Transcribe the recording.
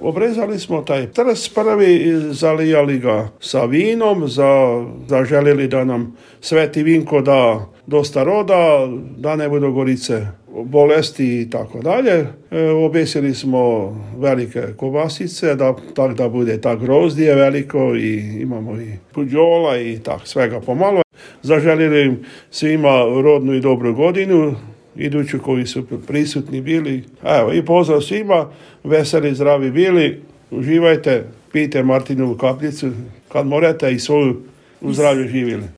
Obrezali smo taj trs prvi i zalijali ga sa vinom, zaželili da nam Sveti Vinko da dosta roda, da ne budu gorice bolesti i tako dalje. Objesili smo velike kobasice, da bude tak grozdje veliko i imamo i puđola i tak svega pomalo. Zaželili im svima rodnu i dobru godinu, iduću koji su prisutni bili. Evo, i pozdrav svima, veseli, zdravi bili, uživajte, pijte Martinovu kapljicu kad morate i svoju u zdravlju živjeli.